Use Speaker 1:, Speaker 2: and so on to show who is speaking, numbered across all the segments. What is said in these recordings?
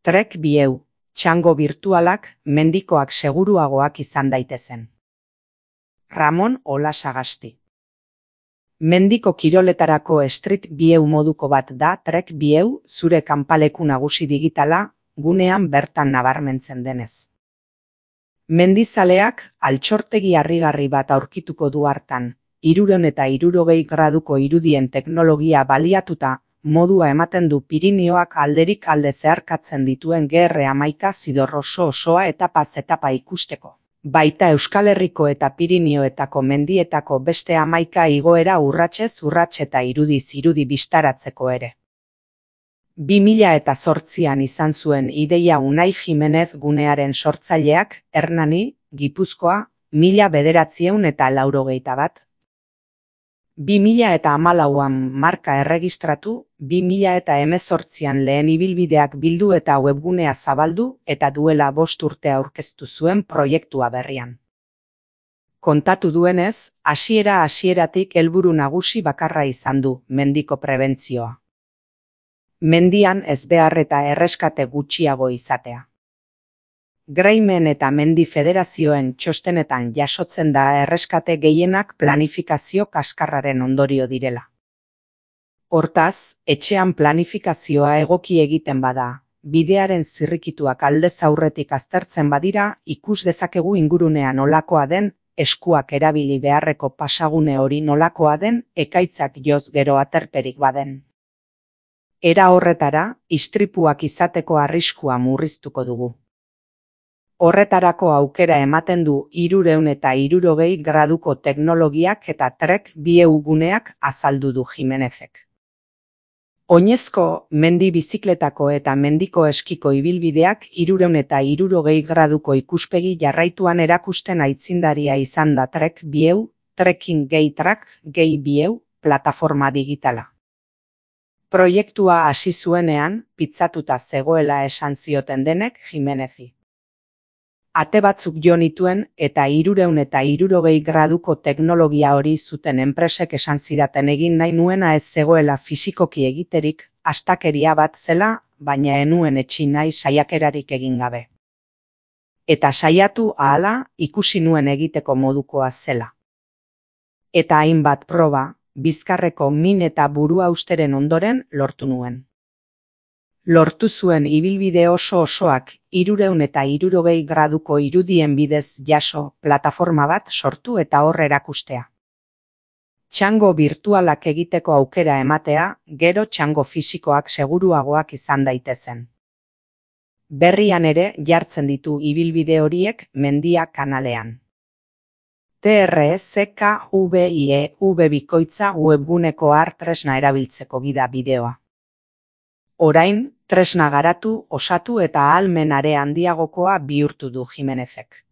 Speaker 1: Trek bieu, txango birtualak mendikoak seguruagoak izan daitezen. Ramon Olasagasti. Mendiko kiroletarako street bieu moduko bat da Trek bieu zure kanpaleku nagusi digitala gunean bertan nabarmentzen denez. Mendizaleak altxortegi harrigarri bat aurkituko du hartan, 360 graduko irudien teknologia baliatuta, modua ematen du Pirinioak alderik alde zeharkatzen dituen GR11 zidorroso osoa etapaz-etapa ikusteko. Baita Euskal Herriko eta Pirinioetako mendietako beste 11 igoera urratsez urrats eta irudiz irudi bistaratzeko ere. 2008an izan zuen ideia Unai Jimenez gunearen sortzaileak, Hernani, Gipuzkoa, 1981. 2014an marka erregistratu, 2018an lehen ibilbideak bildu eta webgunea zabaldu eta duela 5 urte aurkeztu zuen proiektua berrian. Kontatu duenez, hasieratik helburu nagusi bakarra izan du, mendiko prebentzioa. Mendian ezbehar eta erreskate gutxiago izatea. Graimen eta Mendi Federazioen txostenetan jasotzen da erreskate gehienak planifikazio kaskarraren ondorio direla. Hortaz, etxean planifikazioa egoki egiten bada, bidearen zirrikituak aldez aurretik aztertzen badira, ikus dezakegu ingurunea nolakoa den, eskuak erabili beharreko pasagune hori nolakoa den, ekaitzak joz gero aterperik baden. Era horretara, istripuak izateko arriskua murriztuko dugu. Horretarako aukera ematen du 360 graduko teknologiak eta Trek bieu guneak azaldu du Jimenezek. Oinezko mendi bizikletako eta mendiko eskiko ibilbideak 360 graduko ikuspegi jarraituan erakusten aitzindaria izan da Trek bieu, Trekking Track bieu, plataforma digitala. Proiektua hasi zuenean, pitzatuta zegoela esan zioten denek Jimenezi. Ate batzuk jo nituen eta 360 graduko teknologia hori zuten enpresek esan zidaten egin nahi nuena ez zegoela fisikoki egiterik, astakeria bat zela, baina enuen etsi nahi saiakerarik egin gabe. Eta saiatu ahala ikusi nuen egiteko modukoa zela. Eta hainbat proba, bizkarreko min eta buruhausteren ondoren lortu nuen. Lortu zuen ibilbide osoak 360 graduko irudien bidez jaso plataforma bat sortu eta hor erakustea. Txango birtualak egiteko aukera ematea, gero txango fisikoak seguruagoak izan daitezen. Berrian ere jartzen ditu ibilbide horiek Mendia kanalean. TRSKVIEV bikoitza webguneko tresna erabiltzeko gida bideoa. Orain, tresna garatu, osatu eta ahalmen are handiagokoa bihurtu du Jimenezek.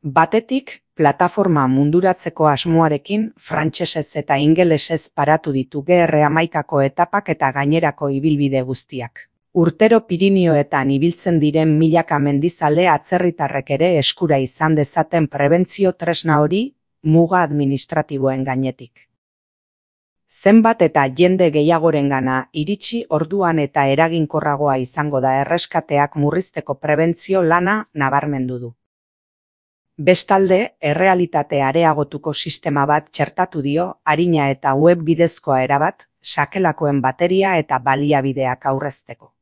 Speaker 1: Batetik, plataforma munduratzeko asmoarekin frantsesez eta ingelesez paratu ditu GR11ko etapak eta gainerako ibilbide guztiak. Urtero Pirinioetan ibiltzen diren milaka mendizale atzerritarrek ere eskura izan dezaten prebentzio tresna hori, muga administratiboen gainetik. Zenbat eta jende gehiagorengana iritsi orduan eta eraginkorragoa izango da erreskateak murrizteko prebentzio lana nabarmendu du. Bestalde, errealitate areagotuko sistema bat txertatu dio arina eta web bidezkoa erabat, sakelakoen bateria eta baliabideak aurrezteko.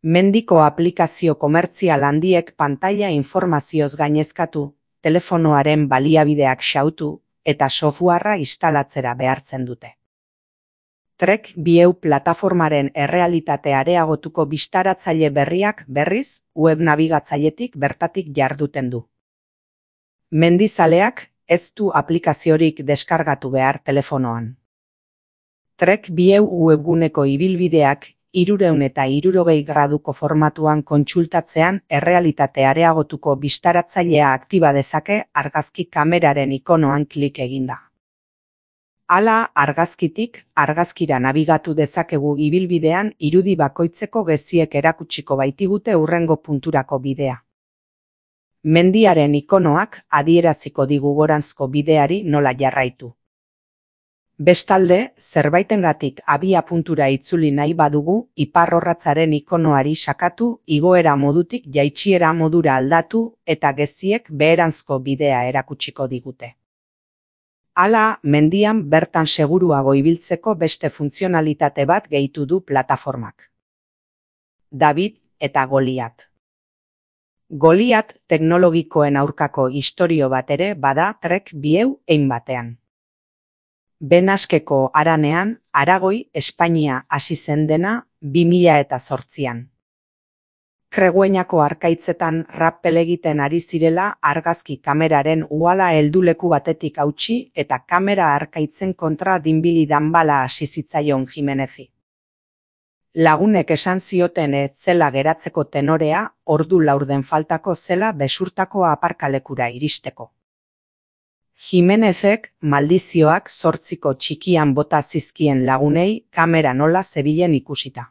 Speaker 1: Mendiko aplikazio komertzial handiek pantaila informazioz gainezkatu, telefonoaren baliabideak xautu, eta softwarea instalatzera behartzen dute. Trek bieu plataformaren errealitate areagotuko bistaratzaile berriak berriz web nabigatzailetik bertatik jarduten du. Mendizaleak ez du aplikaziorik deskargatu behar telefonoan. Trek bieu webguneko ibilbideak 360 graduko formatuan kontsultatzean errealitate areagotuko bistaratzailea aktiba dezake argazki kameraren ikonoan klik eginda. Hala, argazkitik, argazkira nabigatu dezakegu ibilbidean irudi bakoitzeko geziek erakutsiko baitigute hurrengo punturako bidea. Mendiaren ikonoak adieraziko digu goranzko bideari nola jarraitu. Bestalde, zerbaitengatik abia-puntura itzuli nahi badugu, iparrorratzaren ikonoari sakatu, igoera modutik jaitsiera modura aldatu eta geziek beheranzko bidea erakutsiko digute. Hala, mendian bertan seguruago ibiltzeko beste funtzionalitate bat gehitu du plataformak. David eta Goliat. Goliat teknologikoen aurkako istorio bat ere bada Trek bieu hein batean. Benaskeko haranean, Aragoi, Espainia hasi zen dena 2008an. Kregueñako harkaitzetan rappel egiten ari zirela argazki kameraren uhala helduleku batetik hautsi eta kamera harkaitzen kontra dinbili danbala hasi zitzaion Jimenezi. Lagunek esan zioten ez zela geratzeko tenorea, ordu laurden faltako zela besurtako aparkalekura iristeko. Jimenezek maldizioak 8ko txikian bota zizkien lagunei kamera nola zebilen ikusita.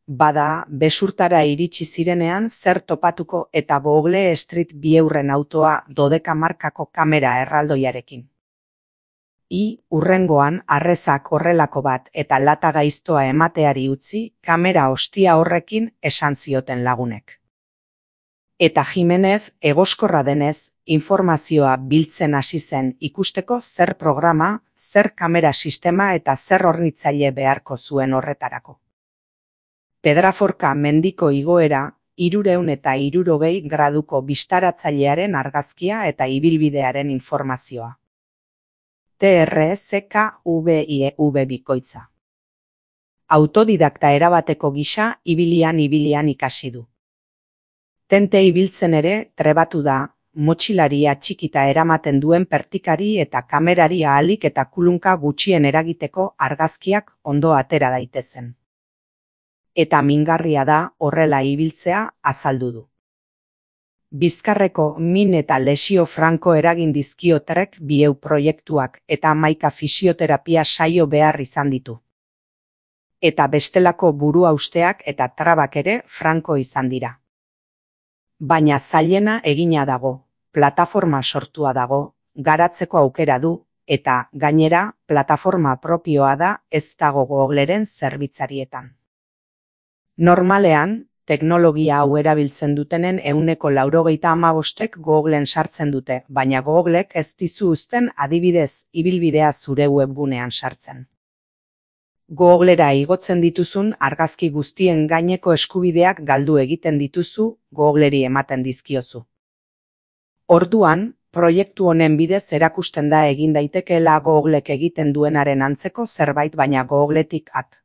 Speaker 1: Bada, besurtara iritsi zirenean zer topatuko eta Google Street Viewen autoa 12 markako kamera erraldoiarekin. Hurrengoan arrezak horrelako bat eta lata gaiztoa emateari utzi, kamera ostia horrekin esan zioten lagunek. Eta Jimenez, egoskorra denez, informazioa biltzen hasi zen ikusteko zer programa, zer kamera sistema eta zer hornitzaile beharko zuen horretarako. Pedraforka mendiko igoera, 360 graduko bistaratzailearen argazkia eta ibilbidearen informazioa. TRSKVIEV bikoitza. Autodidakta erabateko gisa ibilian ikasi du. Tente ibiltzen ere trebatu da, motxilaria txikita eramaten duen pertikari eta kamerari ahalik eta kulunka gutxien eragiteko argazkiak ondo atera daitezen. Eta mingarria da horrela ibiltzea azaldu du. Bizkarreko min eta lesio franko eragin dizkio Trek bieu proiektuak eta 11 fisioterapia saio behar izan ditu. Eta bestelako buruhausteak eta trabak ere franko izan dira. Baina zailena egina dago, plataforma sortua dago, garatzeko aukera du, eta gainera plataforma propioa da ez dago Googleren zerbitzarietan. Normalean, teknologia hau erabiltzen dutenen 95%ek Googlen sartzen dute, baina Googlek ez dizu uzten adibidez ibilbidea zure webgunean sartzen. Googlera igotzen dituzun argazki guztien gaineko eskubideak galdu egiten dituzu, Googleri ematen dizkiozu. Orduan, proiektu honen bidez erakusten da egin daitekeela Googlek egiten duenaren antzeko zerbait baina Googletik at.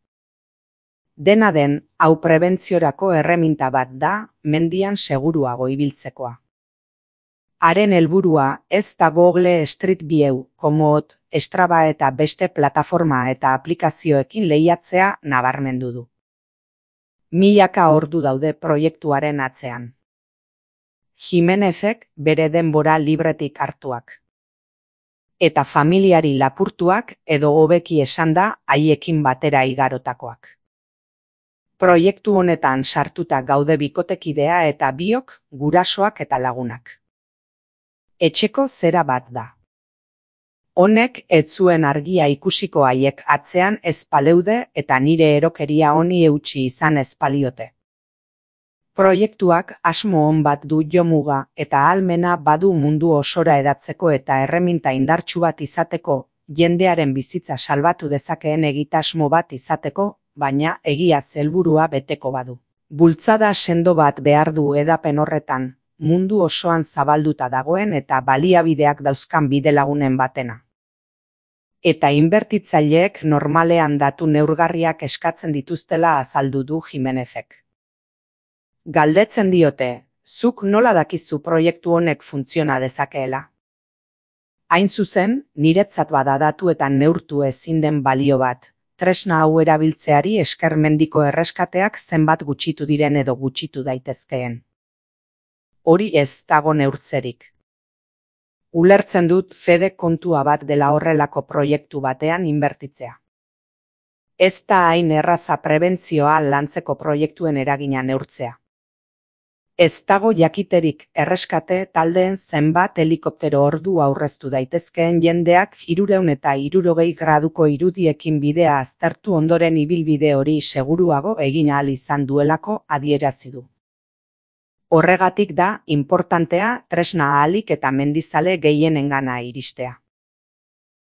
Speaker 1: Dena den, hau prebentziorako erreminta bat da, mendian seguruago ibiltzekoa. Haren helburua ez da Google Street View, Komoot, Strava eta beste plataforma eta aplikazioekin lehiatzea nabarmendu du. Milaka ordu daude proiektuaren atzean. Jimenezek bere denbora libretik hartuak. Eta familiari lapurtuak edo hobeki esanda haiekin batera igarotakoak. Proiektu honetan sartuta gaude bikotekidea eta biok, gurasoak eta lagunak. Etxeko zera bat da. Honek ez zuen argia ikusiko haiek atzean ez paleude eta nire erokeria honi eutsi izan ez paliote. Proiektuak asmo on bat du jomuga eta ahalmena badu mundu osora edatzeko eta erreminta indartsu bat izateko, jendearen bizitza salbatu dezakeen egitasmo bat izateko, baina egia helburua beteko badu. Bultzada sendo bat behar du edapen horretan, mundu osoan zabalduta dagoen eta baliabideak dauzkan bidelagunen batena. Eta inbertitzaileek normalean datu neurgarriak eskatzen dituztela azaldu du Jimenezek. Galdetzen diote, zuk nola dakizu proiektu honek funtziona dezakeela? Hain zuzen, niretzat bada datuetan neurtu ezin den balio bat, tresna hau erabiltzeari esker mendiko erreskateak zenbat gutxitu diren edo gutxitu daitezkeen. Hori ez dago neurtzerik. Ulertzen dut fede kontua bat dela horrelako proiektu batean inbertitzea. Ez da hain erraza prebentzioa lantzeko proiektuen eragina neurtzea. Ez dago jakiterik erreskate taldeen zenbat helikoptero ordu aurreztu daitezkeen jendeak 360 graduko irudiekin bidea aztertu ondoren ibilbide hori seguruago egin ahal izan duelako adierazi du. Horregatik da inportantea tresna ahalik eta mendizale gehienengana iristea.